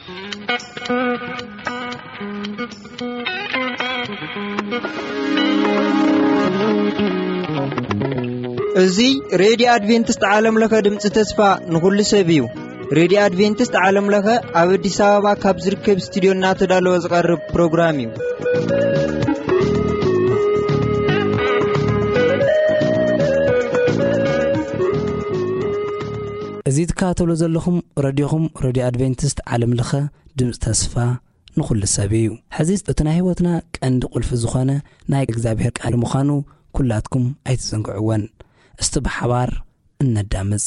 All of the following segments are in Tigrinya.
እዚ ሬድዮ ኣድቬንቲስት ዓለም ለኸ ድምፂ ተስፋ ንኹሉ ሰብ እዩ። ሬድዮ ኣድቬንቲስት ዓለም ለኸ ኣብ ኣዲስ ኣበባ ካብ ዝርከብ ስቱዲዮ እናተዳለወ ዝቐርብ ፕሮግራም እዩ። እዚ ትከታተሉ ዘለኹም ረድዮኹም ሬድዮ ኣድቬንቲስት ዓለም ለኸ ድምፂ ተስፋ ንኹሉ ሰብ እዩ። ሕዚ እቲ ናይ ህይወትና ቀንዲ ቁልፊ ዝኾነ ናይ እግዚኣብሔር ቃል ምዃኑ ኩላትኩም ኣይትዘንግዕወን። እስቲ ብሓባር እነዳምፅ።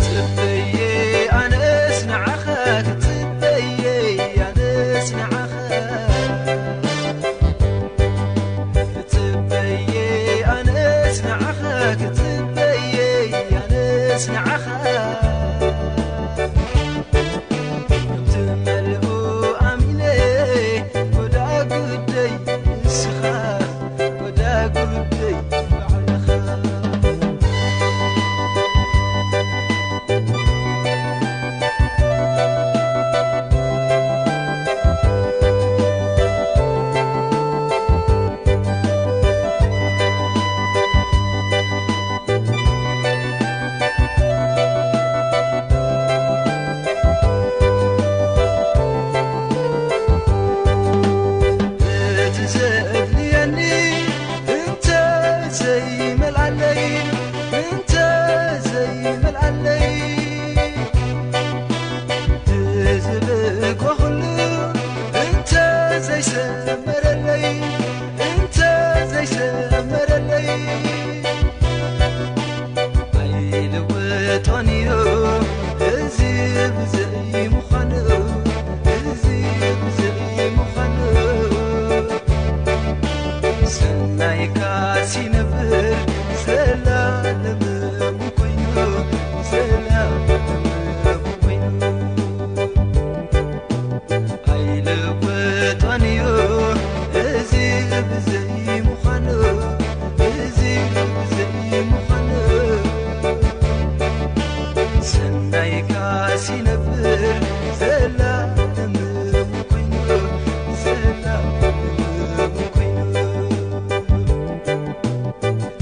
ጽበየ ኣነስ ንዓኻ፣ ጽበየ ኣነስ ንዓኻ፣ ጽበየ ኣነስ ንዓኻ፣ ጽበየ ኣነስ ንዓኻ። ከምቲ መልኡ ኣሚነ ወዳ ጉደይ ንስኻ፣ ወዳ ጉደይ ባዕልኻ። እቲ ዘድልየኒ እንተ ዘይመልኣለይ፣ እንተ ዘይመልኣለይ፣ ዝብእኮ ኩሉ እንተ ዘይሰመረለይ፣ እንተ ዘይሰመረለይ፣ ኣይልወጦን እዩ እዚ ብዘይ ምዃኑ፣ እዚ ብዘይ ምዃኑ። ሰናይካስ ይነብር ዘላለሙ ኮይኑ፣ ዘላለሙ ኮይኑ። ኣይልወጦን እዩ እዚ ብዘይ ምዃኑ፣ እዚ ብዘይ ምዃኑ። ሰናይካስ ይነብር ዘላለሙ ኮይኑ፣ ዘላለሙ ኮይኑ።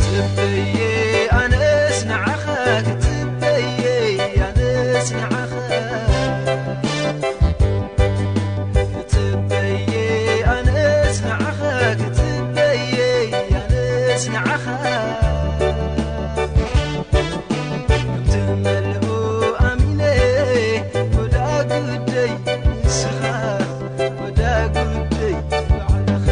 ጽበየ ኣነስ ንዓኻ፣ ጽበየ ኣነስ ንዓኻ፣ ጽበየ ኣነስ ንዓኻ፣ ጽበየ ኣነስ ንዓኻ። ከምቲ መልኡ ኣሚነ ወዳ ጉደይ ንስኻ፣ ወዳ ጉደይ ባዕልኻ።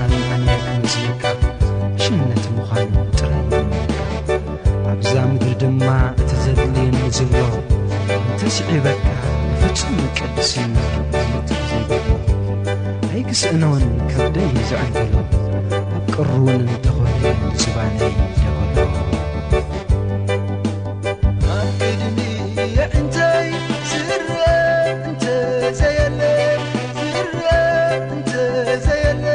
ኣነ ክመስለካ ሽነት ምዃኑ ጥራይ ይመካ። ኣብዛ ምድሪ ድማ እቲ ዘድልየኒ ዘሎ እንተስዒበካ ብፍጹም ቅድስና ዘይብሉ ኣይክስእኖን ከብደይ ዘዕንገሎ ኣብ ቅሩውን እንተኾነ ዝባነይ ደበሎ። ኣብ ቅድሚ የዕንተይ ዝረእ እንተ ዘየለ፣ ዝረእ እንተ ዘየለ፣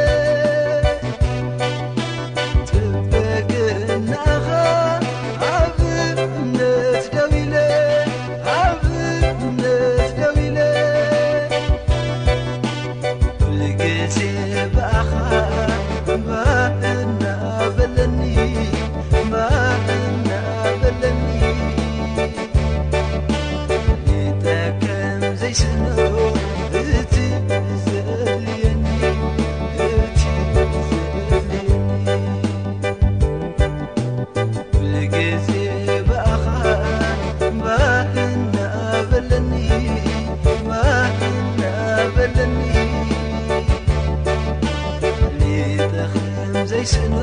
ጽበ ግናኻ ኣብ እምነት ደው ኢለ፣ ኣብ እምነት ደው ኢለ፣ ኩሉ ግዜ ብኣኻ እምባ እናበለኒ፣ እምባ እናበለኒ። ሊጠከም ዘይስእኖ እቲ ዘድልየኒ፣ እቲ ዘድልየኒ። ኩሉ ግዜ ብኣኻ እምባ እናበለኒ፣ እምባ እናበለኒ። ሊጠኸም ዘይስእኖ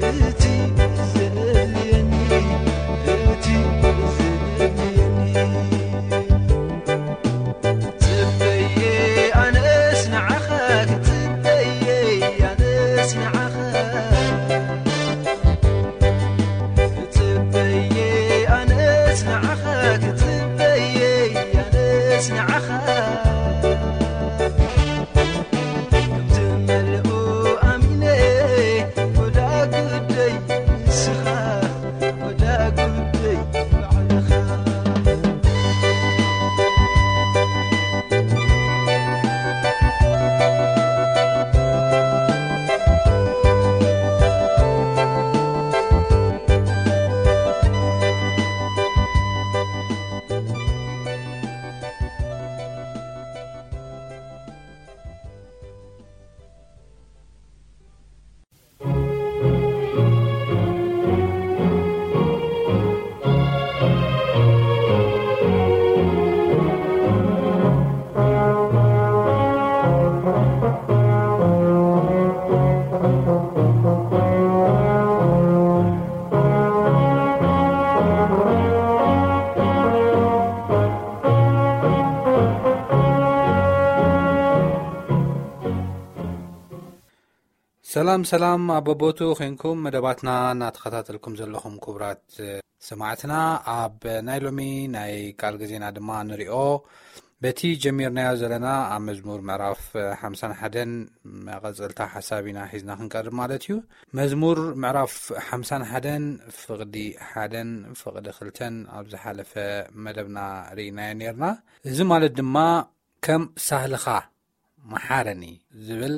እቲ ዘድልየኒ፣ እቲ ዘድልየኒ። ጽበየ ኣነስ ንዓኻ ክጽበየ፣ ኣነስ ንዓኻ ክጽበየ፣ ኣነስ ንዓኻ ክጽበየ፣ ኣነስ ንዓኻ። ከምቲ መልኡ ኣሚነ፣ ወዳ ጉደይ ንስኻ፣ ወዳ ጉደይ ባዕልኻ። ሰላም ሰላም፣ ኣብ በቦቱ ኾይንኩም መደባትና እናተኸታተልኩም ዘለኹም ክቡራት ሰማዕትና፣ ኣብ ናይ ሎሚ ናይ ቃል ግዜና ድማ ንሪኦ በቲ ጀሚርናዮ ዘለና ኣብ መዝሙር ምዕራፍ ሓምሳን ሓደን መቐጸልታ ሓሳብ ኢና ሒዝና ክንቀርብ ማለት እዩ። መዝሙር ምዕራፍ ሓምሳን ሓደን ፍቕዲ ሓደን ፍቕዲ ክልተን ኣብ ዝሓለፈ መደብና ርኢናዮ ኔርና። እዚ ማለት ድማ ከም ሳህልኻ መሓረኒ ዝብል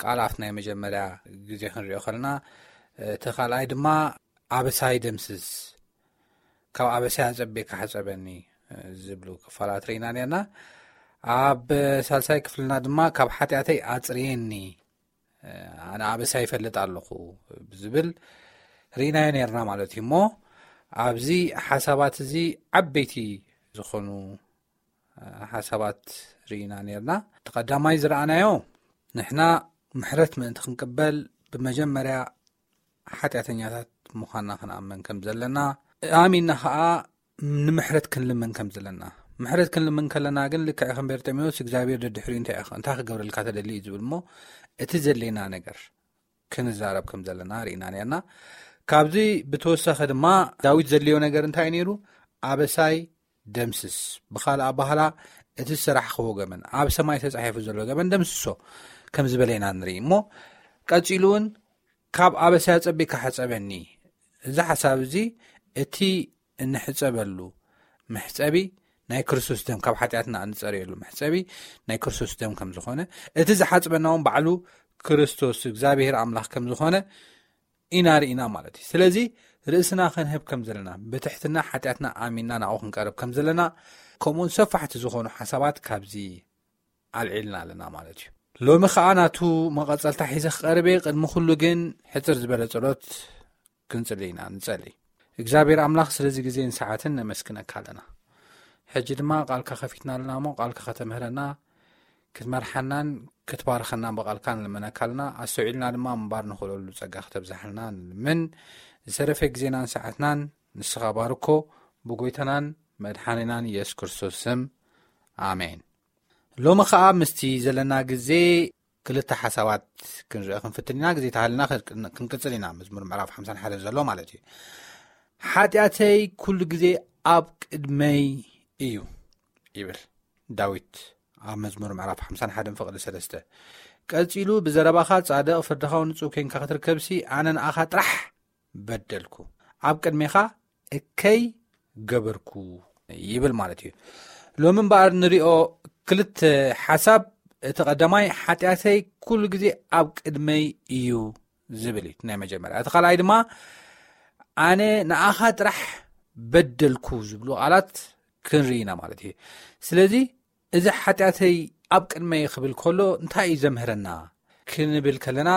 ቃል ኣብቲ ናይ መጀመርያ ግዜ ክንሪኦ ከለና፣ እቲ ካልኣይ ድማ ኣበሳይ ደምስስ፣ ካብ ኣበሳይ ኣጸቢቕካ ሕጸበኒ ዝብሉ ክፋላት ርኢና ኔርና። ኣብ ሳልሳይ ክፍልና ድማ ካብ ሓጢኣተይ ኣጽርየኒ፣ ኣነ ኣበሳይ ይፈልጥ ኣለኹ ዝብል ርኢናዮ ኔርና ማለት እዩ። እሞ ኣብዚ ሓሳባት እዚ ዓበይቲ ዝኾኑ ሓሳባት ርኢና ኔርና። እቲ ቀዳማይ ዝረኣናዮ ንሕና ምሕረት ምእንቲ ክንቅበል ብመጀመርያ ሓጢኣተኛታት ምዃንና ክንኣምን ከም ዘለና፣ ኣሚንና ኸኣ ንምሕረት ክንልምን ከም ዘለና። ምሕረት ክንልምን ከለና ግን ልክዕ ከም በርጤሜዎስ እግዚኣብሔር ደድሕሪኡ እንታይ ኢኻ፣ እንታይ ክገብረልካ ተደሊ እዩ ዝብል እሞ እቲ ዘድልየና ነገር ክንዛረብ ከም ዘለና ርኢና ኔርና። ካብዚ ብተወሳኺ ድማ ዳዊት ዘድልዮ ነገር እንታይ እዩ ነይሩ? ኣበሳይ ደምስስ። ብኻልእ ኣባህላ እቲ ዝሰራሕኽዎ ገበን፣ ኣብ ሰማይ ተጻሒፉ ዘሎ ገበን ደምስሶ ከም ዝበለ ኢና ንርኢ። እሞ ቀጺሉ እውን ካብ ኣበሳይ ኣጸቢቕካ ሕጸበኒ። እዚ ሓሳብ እዚ እቲ እንሕጸበሉ መሕጸቢ ናይ ክርስቶስ ደም፣ ካብ ሓጢኣትና እንጸርየሉ መሕጸቢ ናይ ክርስቶስ ደም ከም ዝኾነ፣ እቲ ዝሓጽበና እውን ባዕሉ ክርስቶስ እግዚኣብሔር ኣምላኽ ከም ዝኾነ ኢና ርኢና ማለት እዩ። ስለዚ ርእስና ክንህብ ከም ዘለና፣ ብትሕትና ሓጢኣትና ኣሚንና ናብኡ ክንቀርብ ከም ዘለና፣ ከምኡውን ሰፋሕቲ ዝኾኑ ሓሳባት ካብዚ ኣልዒልና ኣለና ማለት እዩ። ሎሚ ኸኣ ናቱ መቐጸልታ ሒዘ ክቐርብ እየ። ቅድሚ ኩሉ ግን ሕጽር ዝበለ ጸሎት ክንጽሊ ኢና። ንጸሊ። እግዚኣብሔር ኣምላኽ ስለዚ ግዜን ሰዓትን ነመስግነካ ኣለና። ሕጂ ድማ ቃልካ ከፊትና ኣለና እሞ ቃልካ ከተምህረና፣ ክትመርሓናን ክትባርኸናን ብቓልካ ንልመነካ ኣለና። ኣስተውዒልና ድማ ምንባር ንኽእለሉ ጸጋ ክተብዝሓልና ንልምን። ዝተረፈ ግዜናን ሰዓትናን ንስኻ ባርኮ፣ ብጎይታናን መድሓኒናን የሱስ ክርስቶስ ስም፣ ኣሜን። ሎሚ ኸኣ ምስቲ ዘለና ግዜ ክልተ ሓሳባት ክንርኢ ክንፍትን ኢና። ግዜ ተሃልና ክንቅጽል ኢና። መዝሙር ምዕራፍ ሓምሳን ሓደን ዘሎ ማለት እዩ። ሓጢኣተይ ኩሉ ግዜ ኣብ ቅድመይ እዩ ይብል ዳዊት ኣብ መዝሙር ምዕራፍ ሓምሳን ሓደን ፍቕዲ ሰለስተ። ቀጺሉ፣ ብዘረባኻ ጻድቕ፣ ፍርድኻ ንጹህ ኬንካ ክትርከብሲ፣ ኣነ ንኣኻ ጥራሕ በደልኩ፣ ኣብ ቅድሜኻ እከይ ገበርኩ ይብል ማለት እዩ። ሎሚ እምበኣር ንሪኦ ክልተ ሓሳብ፣ እቲ ቀዳማይ ሓጢኣተይ ኩሉ ግዜ ኣብ ቅድመይ እዩ ዝብል እዩ ናይ መጀመርያ። እቲ ካልኣይ ድማ ኣነ ንኣኻ ጥራሕ በደልኩ ዝብሉ ቃላት ክንርኢ ኢና ማለት እዩ። ስለዚ እዚ ሓጢኣተይ ኣብ ቅድመይ ክብል ከሎ እንታይ እዩ ዘምህረና ክንብል ከለና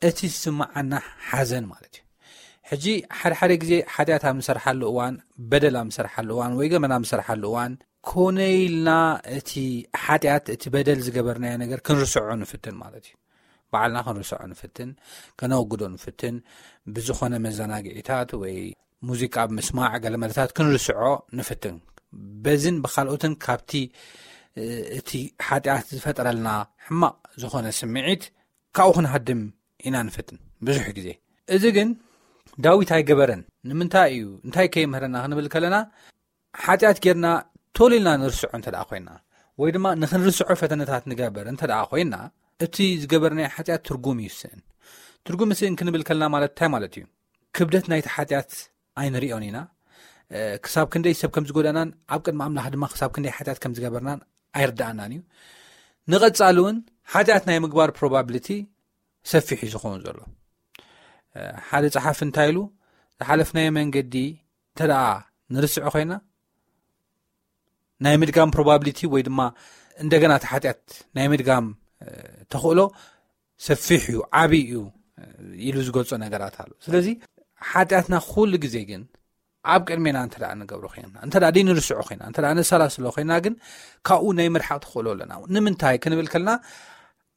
እቲ ዝስምዓና ሓዘን ማለት እዩ። ሕጂ ሓደ ሓደ ግዜ ሓጢኣት ኣብ ንሰርሓሉ እዋን፣ በደል ኣብ ንሰርሓሉ እዋን ወይ ገመና ኣብ ንሰርሓሉ እዋን ኮነ ኢልና እቲ ሓጢኣት፣ እቲ በደል ዝገበርናዮ ነገር ክንርስዖ ንፍትን ማለት እዩ። ባዕልና ክንርስዖ ንፍትን፣ ከነወግዶ ንፍትን፣ ብዝኾነ መዘናግዒታት ወይ ሙዚቃ ኣብ ምስማዕ ገለ መለታት ክንርስዖ ንፍትን። በዝን ብኻልኦትን ካብቲ እቲ ሓጢኣት ዝፈጠረልና ሕማቕ ዝኾነ ስምዒት ካብኡ ክንሃድም ኢና ንፍትን ብዙሕ ግዜ። እዚ ግን ዳዊት ኣይገበረን። ንምንታይ እዩ? እንታይ ከይምህረና ክንብል ከለና፣ ሓጢኣት ጌርና ቶል ኢልና ንርስዖ እንተ ደኣ ኮይና፣ ወይ ድማ ንኽንርስዖ ፈተነታት ንገበር እንተ ደኣ ኮይና፣ እቲ ዝገበርናዮ ሓጢኣት ትርጉም ይስእን። ትርጉም ይስእን ክንብል ከለና ማለት እንታይ ማለት እዩ? ክብደት ናይቲ ሓጢኣት ኣይንሪኦን ኢና። እ፣ ክሳብ ክንደይ ሰብ ከም ዝጎዳእናን ኣብ ቅድሚ ኣምላኽ ድማ ክሳብ ክንደይ ሓጢኣት ከም ዝገበርናን ኣይርድኣናን እዩ። ንቐጻሊ እውን ሓጢኣት ናይ ምግባር ፕሮባብሊቲ ሰፊሕ እዩ ዝኸውን ዘሎ። እ፣ ሓደ ጸሓፊ እንታይ ኢሉ፣ ዝሓለፍናዮ መንገዲ እንተ ደኣ ንርስዖ ኮይና፣ ናይ ምድጋም ፕሮባብሊቲ ወይ ድማ እንደገና እቲ ሓጢኣት ናይ ምድጋም፣ እ፣ ተኽእሎ ሰፊሕ እዩ፣ ዓብዪ እዩ፣ እ፣ ኢሉ ዝገልጾ ነገራት ኣሎ። ስለዚ ሓጢኣትና ኩሉ ግዜ ግን ኣብ ቅድሜና እንተ ደኣ ንገብሮ ኮይና፣ እንተ ደኣ ንርስዖ ኮይና፣ እንተ ደኣ ነሰላስሎ ኮይና ግን ካብኡ ናይ ምርሓቕ ተኽእሎ ኣለና። ንምንታይ ክንብል ከለና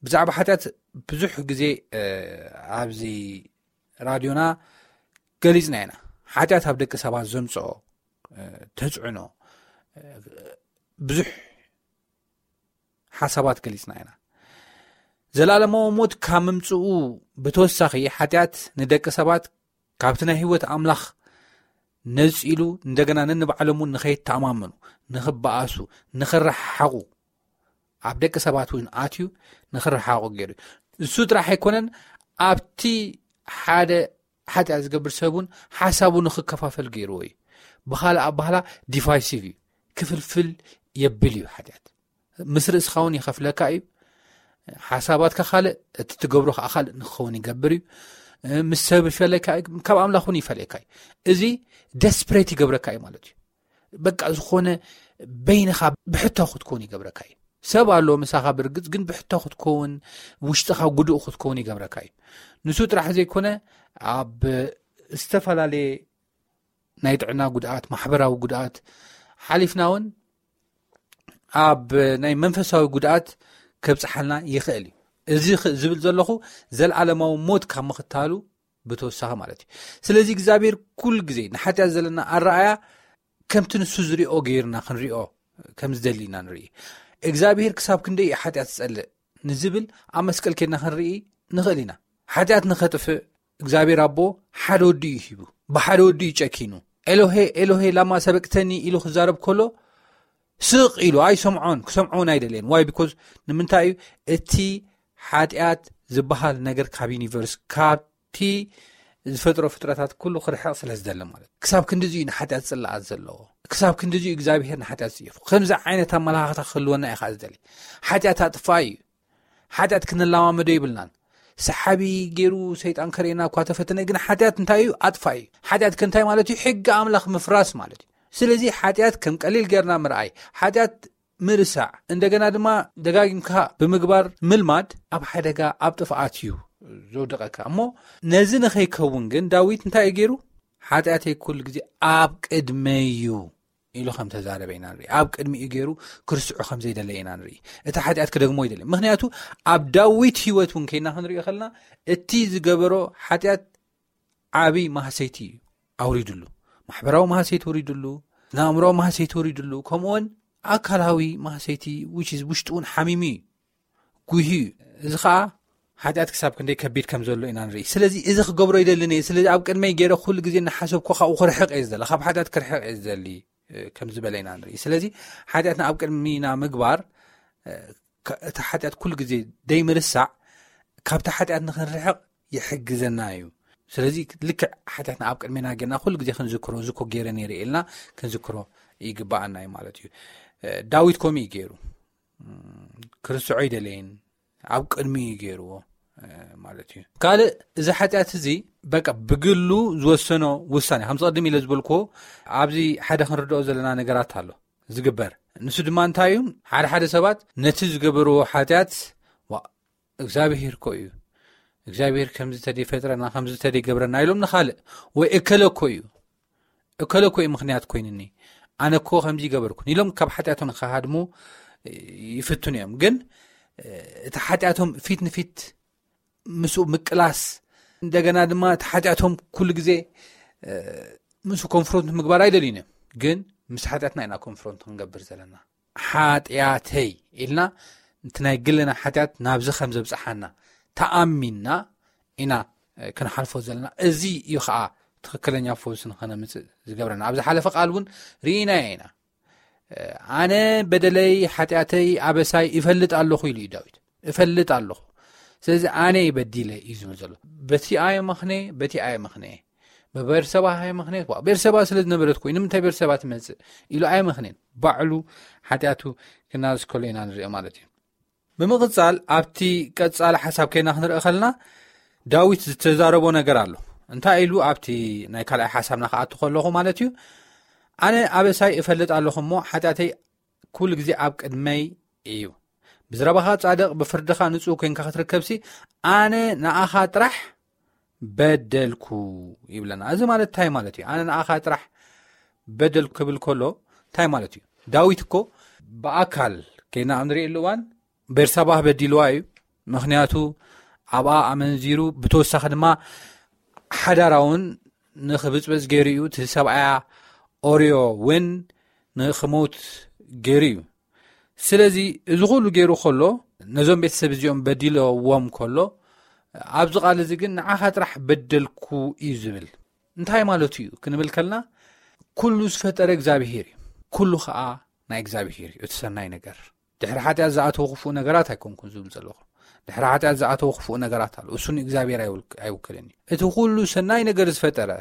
ብዛዕባ ሓጢኣት ብዙሕ ግዜ፣ እ፣ ኣብዚ ራድዮና ገሊጽና ኢና። ሓጢኣት ኣብ ደቂ ሰባት ዘምጽኦ፣ እ፣ ተጽዕኖ፣ እ፣ ብዙሕ ሓሳባት ገሊጽና ኢና። ዘላለማዊ ሞት ካብ ምምጽኡ ብተወሳኺ ሓጢኣት ንደቂ ሰባት ካብቲ ናይ ህይወት ኣምላኽ ነጺሉ እንደገና ነንባዕሎም እውን ንኸይተኣማመኑ፣ ንኽበኣሱ፣ ንኽረሓሓቑ ኣብ ደቂ ሰባት እውን ኣትዩ ንኽረሓሓቑ ገይሩ እዩ። እሱ ጥራሕ ኣይኮነን፣ ኣብቲ ሓደ ሓጢኣት ዝገብር ሰብ እውን ሓሳቡ ንኽከፋፈል ገይርዎ እዩ። ብኻልእ ኣባህላ ዲቫይሲቭ እዩ፣ ክፍልፍል የብል እዩ ሓጢኣት። ምስ ርእስኻ እውን ይኸፍለካ እዩ። ሓሳባትካ ካልእ፣ እቲ ትገብሮ ከዓ ካልእ ንክኸውን ይገብር እዩ። ምስ ሰብ ይፈለካ እዩ፣ ካብ ኣምላኽ እውን ይፈለካ እዩ። እዚ ደስፕሬት ይገብረካ እዩ ማለት እዩ። በቃ ዝኾነ በይንኻ ብሕቶ ክትከውን ይገብረካ እዩ። ሰብ ኣሎ ምሳኻ ብርግጽ፣ ግን ብሕቶ ክትከውን፣ ውሽጥኻ ጉዱእ ክትከውን ይገብረካ እዩ። ንሱ ጥራሕ ዘይኮነ ኣብ ዝተፈላለየ ናይ ጥዕና ጉድኣት፣ ማሕበራዊ ጉድኣት ሓሊፍና እውን ኣብ ናይ መንፈሳዊ ጉድኣት ከብጽሓልና ይኽእል እዩ። እዚ ኽ-፣ ዝብል ዘለኹ ዘልዓለማዊ ሞት ካብ ምኽታሉ ብተወሳኺ ማለት እዩ። ስለዚ እግዚኣብሔር ኩሉ ግዜ ንሓጢኣት ዘለና ኣረኣያ ከምቲ ንሱ ዝሪኦ ገይርና ክንሪኦ ከም ዝደሊ ኢና ንርኢ። እግዚኣብሔር ክሳብ ክንደይ እዩ ሓጢኣት ዝጸልእ ንዝብል ኣብ መስቀል ኬድና ክንርኢ ንኽእል ኢና። ሓጢኣት ንኸጥፍእ እግዚኣብሔር ኣቦ ሓደ ወዲ እዩ ሂቡ። ብሓደ ወዲ እዩ ጨኪኑ። "ኤሎሄ፣ ኤሎሄ፣ ላማ ሰበቅተኒ?" ኢሉ ክዛረብ ከሎ ስቕ ኢሉ ኣይሰምዖን፣ ክሰምዖ እውን ኣይደልየን። ዋይ? ቢኮዝ ንምንታይ እዩ? እቲ ሓጢኣት ዝበሃል ነገር ካብ ዩኒቨርስ፣ ካብቲ ዝፈጥሮ ፍጥረታት ኩሉ ክርሕቕ ስለ ዝደሊ ማለት እዩ። ክሳብ ክንድዚ እዩ ንሓጢኣት ጽላኣት ዘለዎ። ክሳብ ክንድዚ እዩ እግዚኣብሔር ንሓጢኣት ዝጽየፎ። ከምዚ ዓይነት ኣመለኻኽታ ክህልወና እዩ ከዓ ዝደሊ። ሓጢኣት ኣጥፋኢ እዩ። ሓጢኣት ክንለማመዶ ይብልናን። ሰሓቢ ገይሩ ሰይጣን ከርእየና እኳ ተፈተነ፣ ግን ሓጢኣት እንታይ እዩ? ኣጥፋኢ እዩ። ሓጢኣት ከ እንታይ ማለት እዩ? ሕጊ ኣምላኽ ምፍራስ ማለት እዩ። ስለዚ ሓጢኣት ከም ቀሊል ጌርና ምርኣይ፣ ሓጢኣት ምርሳዕ፣ እንደገና ድማ ደጋጊምካ ብምግባር ምልማድ ኣብ ሓደጋ፣ ኣብ ጥፍኣት እዩ ዘውድቐካ። እሞ ነዚ ንኸይከውን ግን ዳዊት እንታይ እዩ ገይሩ? "ሓጢኣተይ ኩሉ ግዜ ኣብ ቅድመይ እዩ" ኢሉ ከም ተዛረበ ኢና ንርኢ። ኣብ ቅድሚኡ ገይሩ ክርስዑ ከም ዘይደለ ኢና ንርኢ። እቲ ሓጢኣት ክደግሞ ይደለ። ምክንያቱ ኣብ ዳዊት ህይወት እውን ከይና ክንሪኦ ከለና እቲ ዝገበሮ ሓጢኣት ዓብይ ማህሰይቲ እዩ ኣውሪድሉ። ማሕበራዊ ማህሰይቲ ወሪድሉ፣ ንኣእምሮ ማህሰይቲ ወሪድሉ፣ ከምኡውን ኣካላዊ ማህሰይቲ ውሽጡ እውን ሓሚሙ እዩ፣ ጉሂ እዩ። እዚ ከዓ ሓጢኣት ክሳብ ክንደይ ከቢድ ከም ዘሎ ኢና ንርኢ። ስለዚ እዚ ክገብሮ ይደልን እየ፣ ስለዚ ኣብ ቅድመይ ገይረ ኩሉ ግዜ እናሓሰብኩ ካብኡ ክርሕቕ እየ ዝደሊ፣ ካብ ሓጢኣት ክርሕቕ እየ ዝደሊ ከም ዝበለ ኢና ንርኢ። ስለዚ ሓጢኣትና ኣብ ቅድሚና ምግባር እቲ ሓጢኣት ኩሉ ግዜ ደይምርሳዕ ካብቲ ሓጢኣት ንክንርሕቕ ይሕግዘና እዩ። ስለዚ ልክዕ ሓጢኣትና ኣብ ቅድሜና ጌርና ኩሉ ግዜ ክንዝክሮ፣ ዝኮ ገይረ ነይረ ኢልና ክንዝክሮ ይግባኣና እዩ ማለት እዩ። ዳዊት ከምኡ እዩ ገይሩ፣ ክርስዖ ኣይደለየን፣ ኣብ ቅድሚ እዩ ገይርዎ ማለት እዩ። ካልእ፣ እዚ ሓጢኣት እዚ በቃ ብግሉ ዝወሰኖ ውሳኔ፣ ከም ዝቐድም ኢለ ዝበልኩዎ፣ ኣብዚ ሓደ ክንርድኦ ዘለና ነገራት ኣሎ ዝግበር። ንሱ ድማ እንታይ እዩ? ሓደ ሓደ ሰባት ነቲ ዝገበርዎ ሓጢኣት እግዚኣብሔር እኮ እዩ፣ እግዚኣብሔር ከምዚ ተደይ ፈጥረና፣ ከምዚ ተደይ ገብረና ኢሎም ንኻልእ፣ ወይ እከለ እኮ እዩ፣ እከለ እኮ እዩ ምክንያት ኮይንኒ፣ ኣነ እኮ ከምዚ ይገበርኩ ኢሎም ካብ ሓጢኣቶም ክሃድሙ ይፍትኑ እዮም። ግን እቲ ሓጢኣቶም ፊት ንፊት ምስኡ ምቅላስ፣ እንደገና ድማ እቲ ሓጢኣቶም ኩሉ ግዜ ምስኡ ኮንፍሮንት ምግባር ኣይደልዩን እዮም። ግን ምስ ሓጢኣትና ኢና ኮንፍሮንት ክንገብር ዘለና። ሓጢኣተይ ኢልና እቲ ናይ ግልና ሓጢኣት ናብዚ ከም ዘብፅሓና ተኣሚንና ኢና ክንሓልፎ ዘለና። እዚ እዩ ከዓ ትኽክለኛ ፈውሲ ንኸነምፅእ ዝገብረና። ኣብ ዝሓለፈ ቃል እውን ርኢናዮ ኢና። ኣነ በደለይ፣ ሓጢኣተይ፣ ኣበሳይ ይፈልጥ ኣለኹ ኢሉ እዩ ዳዊት። እፈልጥ ኣለኹ፣ ስለዚ ኣነ በዲለ እዩ ዝብል ዘሎ። በቲ ኣየ መኽነ፣ በቲ ኣየ መኽነ፣ በቤርሰባ ኣየ መኽነ። ቤርሰባ ስለ ዝነበረት ኮይኑ ንምንታይ ቤርሰባ ትመፅእ ኢሉ ኣየ መኽነን። ባዕሉ ሓጢኣቱ ክናዝከሎ ኢና ንሪኦ ማለት እዩ። ብምቕጻል ኣብቲ ቀጻሊ ሓሳብ ከይና ክንርኢ ከለና ዳዊት ዝተዛረቦ ነገር ኣሎ። እንታይ ኢሉ ኣብቲ ናይ ካልኣይ ሓሳብና ክኣቱ ከለኹ ማለት እዩ፣ ኣነ ኣበሳይ እፈልጥ ኣለኹ እሞ ሓጢኣተይ ኩሉ ግዜ ኣብ ቅድመይ እዩ። ብዝረባኻ ጻድቕ ብፍርድኻ ንጹህ ኮይንካ ክትርከብሲ ኣነ ንኣኻ ጥራሕ በደልኩ ይብለና። እዚ ማለት እንታይ ማለት እዩ? ኣነ ንኣኻ ጥራሕ በደልኩ ክብል ከሎ እንታይ ማለት እዩ? ዳዊት እኮ ብኣካል ከይና ኣብ ንርእየሉ እዋን ቤርሳባህ በዲልዋ እዩ። ምክንያቱ ኣብኣ ኣመንዚሩ፣ ብተወሳኺ ድማ ሓዳራ እውን ንኽብፅበፅ ገይሩ እዩ። እቲ ሰብኣያ ኦርዮ እውን ንኽሞት ገይሩ እዩ። ስለዚ እዚ ኩሉ ገይሩ ከሎ፣ ነዞም ቤተሰብ እዚኦም በዲለዎም ከሎ፣ ኣብዚ ቃል እዚ ግን ንዓኻ ጥራሕ በደልኩ እዩ ዝብል። እንታይ ማለቱ እዩ ክንብል ከልና፣ ኩሉ ዝፈጠረ እግዚኣብሄር እዩ። ኩሉ ከዓ ናይ እግዚኣብሄር እዩ እቲ ሰናይ ነገር። ድሕሪ ሓጢኣት ዝኣተወ ክፉእ ነገራት ኣይኮንኩን ዝብል ዘለኹ። ድሕሪ ሓጢኣት ዝኣተወ ክፉእ ነገራት ኣሎ። እሱ ንእግዚኣብሔር ኣይውክ-፣ ኣይውክልን እዩ። እቲ ኩሉ ሰናይ ነገር ዝፈጠረ፣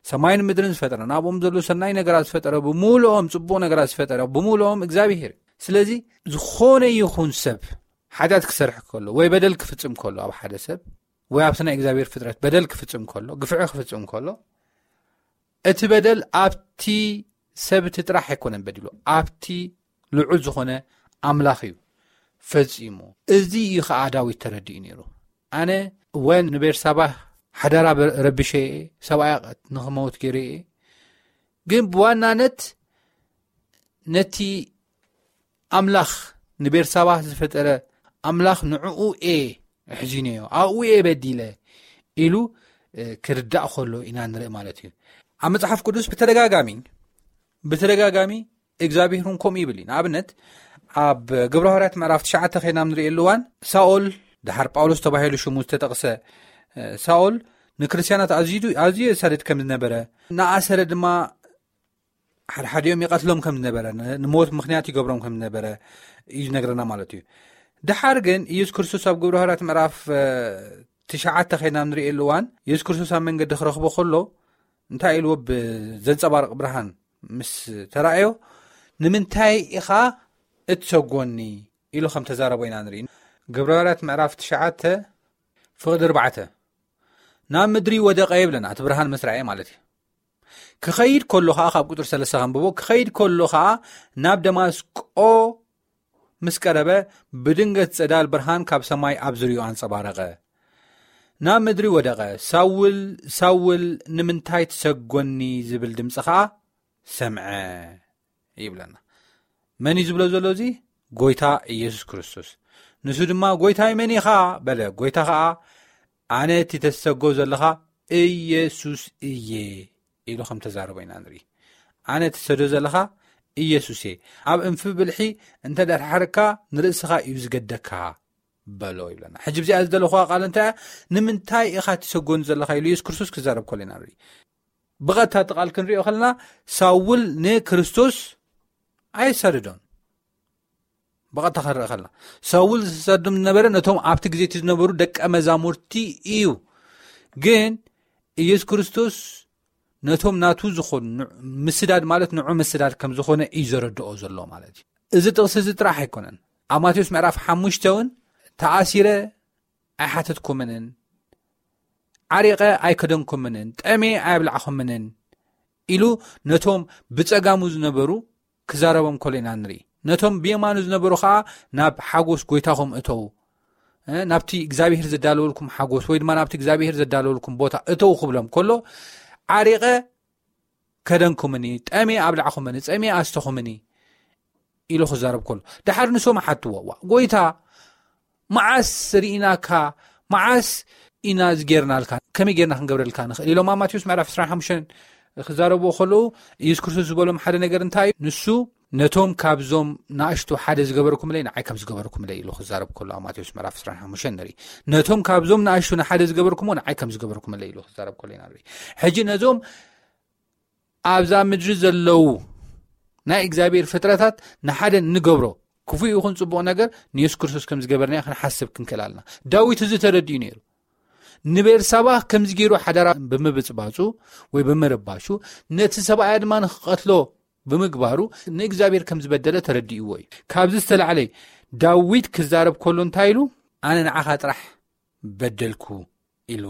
ሰማይን ምድርን ዝፈጠረ፣ ናብኦም ዘሎ ሰናይ ነገራት ዝፈጠረ፣ ብምሉኦም ጽቡቕ ነገራት ዝፈጠረ፣ ብምሉኦም እግዚኣብሔር እዩ። ስለዚ ዝኾነ ይኹን ሰብ ሓጢኣት ክሰርሕ ከሎ ወይ በደል ክፍጽም ከሎ ኣብ ሓደ ሰብ ወይ ኣብቲ ናይ እግዚኣብሔር ፍጥረት በደል ክፍጽም ከሎ፣ ግፍዒ ክፍጽም ከሎ፣ እቲ በደል ኣብቲ ሰብ እቲ ጥራሕ ኣይኮነን በዲሉ፣ ኣብቲ ልዑል ዝኾነ ኣምላኽ እዩ ፈጺሙ። እዚ እዩ ኸዓ ዳዊት ተረዲኡ ነይሩ። ኣነ እወ ንቤርሳባ ሓዳራ በ-፣ ረቢሸ እየ፣ ሰብኣያ ንኽመውት ገይረ እየ። ግን ብዋናነት ነቲ ኣምላኽ ንቤርሳባ ዝፈጠረ ኣምላኽ ንዕኡ እየ ኣሕዚነዮ፣ ኣብኡ እየ በዲለ ኢሉ፣ እ፣ ክርዳእ ከሎ ኢና ንርኢ ማለት እዩ። ኣብ መጽሓፍ ቅዱስ ብተደጋጋሚ፣ ብተደጋጋሚ እግዚኣብሔር እውን ከምኡ ይብል እዩ። ንኣብነት ኣብ ግብረ ሃዋርያት ምዕራፍ ትሽዓተ ኸይና ንርእየሉ እዋን ሳኦል፣ ደሓር ጳውሎስ ተባሂሉ ሽሙ ዝተጠቕሰ፣ እ፣ ሳኦል ንክርስትያናት ኣዝዩ፣ ኣዝዩ የሳድድ ከም ዝነበረ፣ ንኣሰረ ድማ ሓድሓዲኦም ይቐትሎም ከም ዝነበረ፣ ን-፣ ንሞት ምኽንያት ይገብሮም ከም ዝነበረ እዩ ዝነግረና ማለት እዩ። ደሓር ግን ኢየሱስ ክርስቶስ ኣብ ግብረ ሃዋርያት ምዕራፍ፣ እ፣ ትሽዓተ ኸይና ንርእየሉ እዋን ኢየሱስ ክርስቶስ ኣብ መንገዲ ክረኽቦ ከሎ እንታይ ኢልዎ ብዘንጸባርቕ ብርሃን ምስ ተራእዮ፣ "ንምንታይ ኢኻ እትሰጎኒ?" ኢሉ ከም ተዛረቦ ኢና ንርኢ። ግብረ ሃዋርያት ምዕራፍ ትሽዓተ ፍቕዲ ኣርባዕተ፣ "ናብ ምድሪ ወደቐ" ይብለና፣ እቲ ብርሃን ምስ ረኣየ ማለት እዩ። ክኸይድ ከሎ ኸዓ፣ ካብ ቁጽሪ ሰለስተ ከንብቦ፣ ክኸይድ ከሎ ኸዓ ናብ ደማስቆ ምስ ቀረበ፣ ብድንገት ጸዳል ብርሃን ካብ ሰማይ ኣብ ዙርያኡ ኣንጸባረቐ። ናብ ምድሪ ወደቐ። "ሳውል፣ ሳውል፣ ንምንታይ ትሰጎኒ?" ዝብል ድምጺ ኸዓ ሰምዐ። ይብለና። መን እዩ ዝብሎ ዘሎ? እዚ ጎይታ ኢየሱስ ክርስቶስ። ንሱ ድማ፣ "ጎይታይ መን ኢኻ?" በለ። ጎይታ ኸዓ፣ "ኣነ እቲ ተሰጎ ዘለኻ ኢየሱስ እየ" ኢሉ ከም ተዛረቦ ኢና ንርኢ። "ኣነ እቲ ትሰዶ ዘለኻ ኢየሱስ እየ። ኣብ እንፊ ብልሒ እንተ ደሓርካ ንርእስኻ እዩ ዝገደካ" በሎ ይብለና። ሕጂ ብዚኣ ዝደለኹዋ ቃል እንታይ እያ? "ንምንታይ ኢኻ ትሰጎኒ ዘለኻ?" ኢሉ ኢየሱስ ክርስቶስ ክዛረብ ከሎ ኢና ንርኢ። ብቐጥታ እቲ ቃል ክንሪኦ ከለና፣ ሳውል ንክርስቶስ ኣይሰደዶን። ብቐጥታ ክንርኢ ከለና፣ ሳውል ዝሰዶም ዝነበረ ነቶም ኣብቲ ግዜ እቲ ዝነበሩ ደቀ መዛሙርቲ እዩ። ግን ኢየሱስ ክርስቶስ ነቶም ናቱ ዝኾኑ፣ ን-፣ ምስዳድ ማለት ንዑ ምስዳድ ከም ዝኾነ እዩ ዘረድኦ ዘሎ ማለት እዩ። እዚ ጥቕሲ እዚ ጥራሕ ኣይኮነን። ኣብ ማቴዎስ ምዕራፍ ሓሙሽተ እውን፣ "ተኣሲረ ኣይሓተትኩምንን፣ ዓሪቐ ኣይከደንኩምንን፣ ጠሜ ኣየብላዕኹምንን" ኢሉ ነቶም ብጸጋሙ ዝነበሩ ክዛረቦም ከሎ ኢና ንርኢ። ነቶም ብየማኑ ዝነበሩ ኸኣ፣ "ናብ ሓጎስ ጎይታኹም እተዉ፣ እ፣ ናብቲ እግዚኣብሔር ዘዳለወልኩም ሓጎስ፣ ወይ ድማ ናብቲ እግዚኣብሔር ዘዳለወልኩም ቦታ እተዉ" ክብሎም ከሎ፣ "ዓሪቐ ከደንኩምኒ፣ ጠሜ ኣብላዕኹምኒ፣ ጸሜ ኣስተኹምኒ" ኢሉ ክዛረብ ከሎ፣ ድሓር ንሶም ሓትዎ፣ "ዋ፣ ጎይታ፣ መዓስ ርኢናካ? መዓስ ኢና ዝጌርናልካ? ከመይ ጌርና ክንገብረልካ ንኽእል?" ኢሎም ኣብ ማቴዎስ ምዕራፍ ዕስራን ሓሙሽተን ክዛረብዎ ከለዉ፣ ኢየሱስ ክርስቶስ ዝበሎም ሓደ ነገር እንታይ እዩ? ንሱ፣ "ነቶም ካብዞም ንኣሽቱ ሓደ ዝገበርኩምለይ፣ ንዓይ ከም ዝገበርኩምለይ" ኢሉ ክዛረብ ከሎ፣ ኣብ ማቴዎስ ምዕራፍ ዕስራን ሓሙሽተን ንርኢ። "ነቶም ካብዞም ንኣሽቱ ንሓደ ዝገበርኩምዎ፣ ንዓይ ከም ዝገበርኩምለይ" ኢሉ ክዛረብ ከሎ ኢና ንርኢ። ሕጂ ነዞም ኣብዛ ምድሪ ዘለዉ ናይ እግዚኣብሔር ፍጥረታት ንሓደ እንገብሮ ክፉእ ይኹን ጽቡቕ ነገር ንየሱስ ክርስቶስ ከም ዝገበርናዮ ክንሓስብ ክንክእል ኣለና። ዳዊት እዚ ተረዲኡ ነይሩ። ንቤርሳባ ከምዚ ገይሩ ሓዳራ ብምብጽባጹ ወይ ብምርባሹ፣ ነቲ ሰብኣያ ድማ ንኽቐትሎ ብምግባሩ ንእግዚኣብሔር ከም ዝበደለ ተረዲእዎ እዩ። ካብዚ ዝተላዕለ ዳዊት ክዛረብ ከሎ እንታይ ኢሉ? "ኣነ ንዓኻ ጥራሕ በደልኩ" ኢሉ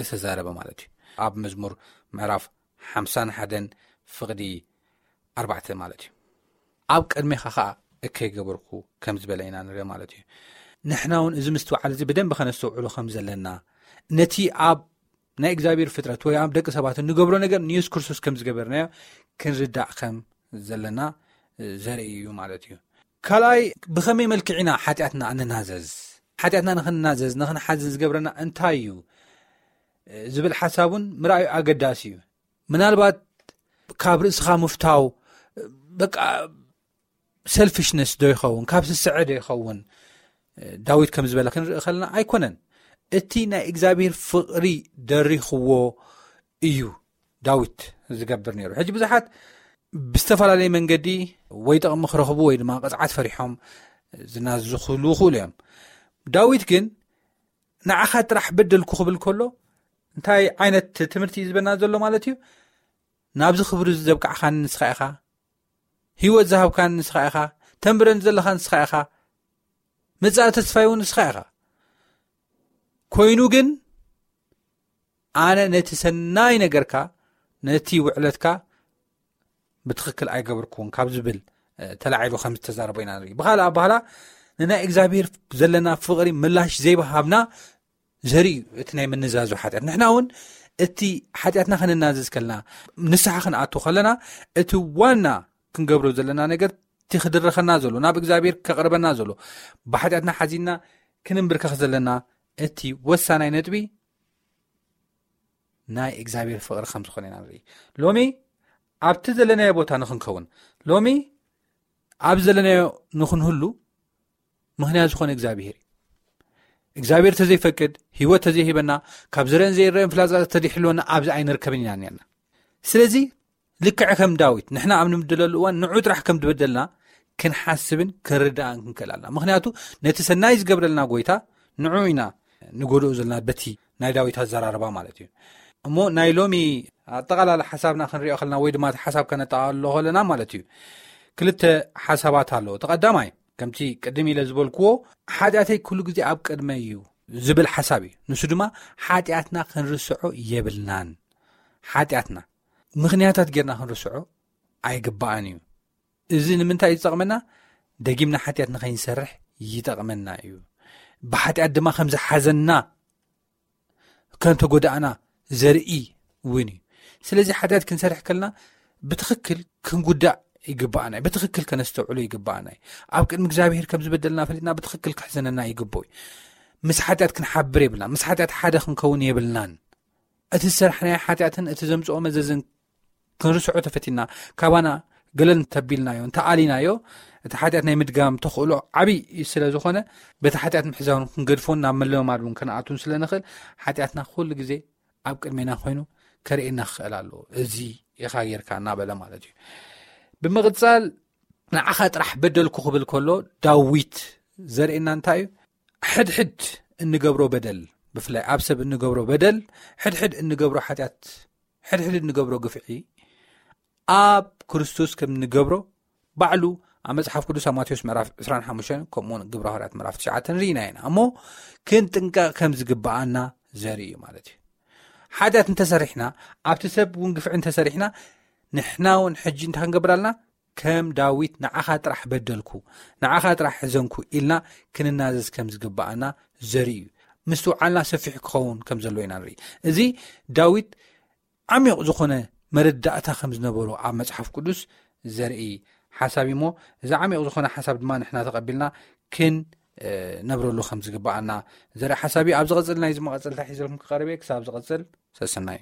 ዝተዛረበ ማለት እዩ። ኣብ መዝሙር ምዕራፍ ሓምሳን ሓደን ፍቕዲ ኣርባዕተ ማለት እዩ። "ኣብ ቅድሜኻ ኸኣ እከይ ገበርኩ" ከም ዝበለ ኢና ንርኢ ማለት እዩ። ንሕና እውን እዚ ምስትውዓል እዚ ብደንቢ ከነስተውዕሎ ከም ዘለና፣ ነቲ ኣብ ናይ እግዚኣብሔር ፍጥረት ወይ ኣብ ደቂ ሰባት እንገብሮ ነገር ንየሱስ ክርስቶስ ከም ዝገበርናዮ ክንርዳእ ከም ዘለና ዘርኢ እዩ ማለት እዩ። ካልኣይ፣ ብኸመይ መልክዕ ኢና ሓጢኣትና እንናዘዝ? ሓጢኣትና ንኽንናዘዝ፣ ንኽንሓዝን ዝገብረና እንታይ እዩ? ዝብል ሓሳብ እውን ምርኣዩ ኣገዳሲ እዩ። ምናልባት ካብ ርእስኻ ምፍታው፣ በቃ፣ ሰልፊሽነስ ዶ ይኸውን? ካብ ስስዐ ዶ ይኸውን? ዳዊት ከም ዝበለ ክንርኢ ከለና ኣይኮነን። እቲ ናይ እግዚኣብሔር ፍቕሪ ደሪኽዎ እዩ ዳዊት ዝገብር ነይሩ። ሕጂ ብዙሓት ብዝተፈላለየ መንገዲ ወይ ጥቕሚ ክረኽቡ ወይ ድማ ቅጽዓት ፈሪሖም ዝናዝዙ ክህልዉ ይኽእሉ እዮም። ዳዊት ግን ንዓኻ ጥራሕ በደልኩ ክብል ከሎ እንታይ ዓይነት ትምህርቲ እዩ ዝበና ዘሎ ማለት እዩ? ናብዚ ክብሪ እዚ ዘብቃዕካኒ ንስኻ ኢኻ፣ ህይወት ዝሃብካኒ ንስኻ ኢኻ፣ ተንብረኒ ዘለኻ ንስኻ ኢኻ፣ መጻኢ ተስፋይ እውን ንስኻ ኢኻ። ኮይኑ ግን ኣነ ነቲ ሰናይ ነገርካ፣ ነቲ ውዕለትካ ብትኽክል ኣይገበርኩዎን ካብ ዝብል፣ እ፣ ተላዒሉ ከም ዝተዛረቦ ኢና ንርኢ። ብኻልእ ኣባህላ ንናይ እግዚኣብሔር ዘለና ፍቕሪ ምላሽ ዘይበሃብና ዘርኢ እዩ እቲ ናይ ምንዛዙ ሓጢኣት። ንሕና እውን እቲ ሓጢኣትና ክንናዘዝ ከለና፣ ንስሓ ክንኣቱ ከለና፣ እቲ ዋና ክንገብሮ ዘለና ነገር፣ እቲ ክድረኸና ዘሎ፣ ናብ እግዚኣብሔር ከቕርበና ዘሎ፣ ብሓጢኣትና ሓዚንና ክንንብርከኽ ዘለና፣ እቲ ወሳናይ ነጥቢ ናይ እግዚኣብሔር ፍቕሪ ከም ዝኾነ ኢና ንርኢ። ሎሚ ኣብቲ ዘለናዮ ቦታ ንኽንከውን፣ ሎሚ ኣብ ዘለናዮ ንኽንህሉ ምኽንያት ዝኾነ እግዚኣብሔር እዩ። እግዚኣብሔር ተዘይፈቅድ፣ ህይወት ተዘይሂበና፣ ካብ ዝረአን ዘይረአን ፍላጻ ተድሕልወና ኣብዚ ኣይንርከብን ኢና ኔርና። ስለዚ ልክዕ ከም ዳዊት ንሕና ኣብ ንምድለሉ እዋን ንዑ ጥራሕ ከም ዝበደልና ክንሓስብን ክንርዳእን ክንክእል ኣለና። ምኽንያቱ ነቲ ሰናይ ዝገብረልና ጎይታ ንዑ ኢና ንጎድኦ ዘለና በቲ ናይ ዳዊት ኣዘራርባ ማለት እዩ። እሞ ናይ ሎሚ ኣጠቓላሊ ሓሳብና ክንሪኦ ከለና ወይ ድማ እቲ ሓሳብ ከነጠቓልሎ ከለና ማለት እዩ፣ ክልተ ሓሳባት ኣለዎ። እቲ ቀዳማይ ከምቲ ቅድም ኢለ ዝበልክዎ ሓጢኣተይ ኩሉ ግዜ ኣብ ቅድመይ እዩ ዝብል ሓሳብ እዩ። ንሱ ድማ ሓጢኣትና ክንርስዖ የብልናን። ሓጢኣትና ምኽንያታት ጌርና ክንርስዖ ኣይግባእን እዩ። እዚ ንምንታይ እዩ ዝጠቕመና? ደጊምና ሓጢኣት ንኸይንሰርሕ ይጠቕመና እዩ። ብሓጢኣት ድማ ከም ዝሓዘና፣ ከም ተጎዳእና ዘርኢ እውን እዩ። ስለዚ ሓጢኣት ክንሰርሕ ከለና ብትኽክል ክንጉዳእ ይግባኣና እዩ። ብትኽክል ከነስተውዕሎ ይግባኣና እዩ። ኣብ ቅድሚ እግዚኣብሔር ከም ዝበደልና ፈሊጥና ብትኽክል ክሕዘነና ይግብኦ እዩ። ምስ ሓጢኣት ክንሓብር የብልናን። ምስ ሓጢኣት ሓደ ክንከውን የብልናን። እቲ ዝሰርሕናዮ ሓጢኣትን እቲ ዘምፅኦ መዘዝን ክንርስዖ ተፈቲና፣ ካባና ገለል እንተቢልናዮ፣ እንተኣሊናዮ፣ እቲ ሓጢኣት ናይ ምድጋም ተኽእሎ ዓብዪ ስለ ዝኾነ፣ በቲ ሓጢኣት ምሕዛውን ክንገድፎን ናብ መለማማድ እውን ከነኣቱን ስለ ንኽእል፣ ሓጢኣትና ኩሉ ግዜ ኣብ ቅድሜና ኮይኑ ከርእየና ክኽእል ኣለዎ። እዚ ኢኻ ጌርካ እናበለ ማለት እዩ። ብምቕጻል ንዓኻ ጥራሕ በደልኩ ክብል ከሎ ዳዊት ዘርእየና እንታይ እዩ? ሕድሕድ እንገብሮ በደል፣ ብፍላይ ኣብ ሰብ እንገብሮ በደል፣ ሕድሕድ እንገብሮ ሓጢኣት፣ ሕድሕድ እንገብሮ ግፍዒ ኣብ ክርስቶስ ከም እንገብሮ ባዕሉ ኣብ መጽሓፍ ቅዱስ ኣብ ማቴዎስ ምዕራፍ ዕስራን ሓሙሽተን ከምኡውን ግብረ ሃዋርያት ምዕራፍ ትሽዓተ ንርኢና ኢና። እሞ ክንጥንቀቕ ከም ዝግብኣና ዘርኢ እዩ ማለት እዩ። ሓጢኣት እንተሰሪሕና፣ ኣብቲ ሰብ እውን ግፍዒ እንተሰሪሕና፣ ንሕና እውን ሕጂ እንታይ ክንገብር ኣለና? ከም ዳዊት ንዓኻ ጥራሕ በደልኩ፣ ንዓኻ ጥራሕ ሕዘንኩ ኢልና ክንናዘዝ ከም ዝግብኣና ዘርኢ እዩ። ምስትውዓልና ሰፊሕ ክኸውን ከም ዘለዎ ኢና ንርኢ። እዚ ዳዊት ዓሚቕ ዝኾነ መረዳእታ ከም ዝነበሮ ኣብ መጽሓፍ ቅዱስ ዘርኢ ሓሳብ እዩ። እሞ እዚ ዓሚቕ ዝኾነ ሓሳብ ድማ ንሕና ተቐቢልና ክንነብረሉ ከም ዝግብኣና ዘርኢ ሓሳብ እዩ። ኣብ ዝቐጽል ናይ ዝመቐጽልታ ሒዘልኩም ክቐርብ እየ። ክሳብ ዝቐጽል ሰሰናዩ።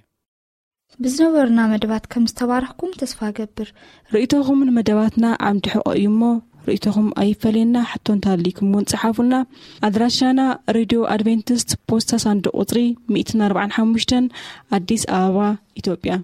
ብዝነበሩና መደባት ከም ዝተባረኽኩም ተስፋ እገብር። ርእይቶኹም ንመደባትና ዓምዲ ሕቖ እዩ እሞ፣ ርእይቶኹም ኣይፈለየና። ሕቶ እንተሃልይኩም እውን ጸሓፉና። ኣድራሻና፣ ሬድዮ ኣድቬንቲስት፣ ፖስታ ሳንዱቕ ቁጽሪ ሚእትን ኣርባዓን ሓሙሽተን፣ ኣዲስ ኣበባ፣ ኢትዮጵያ።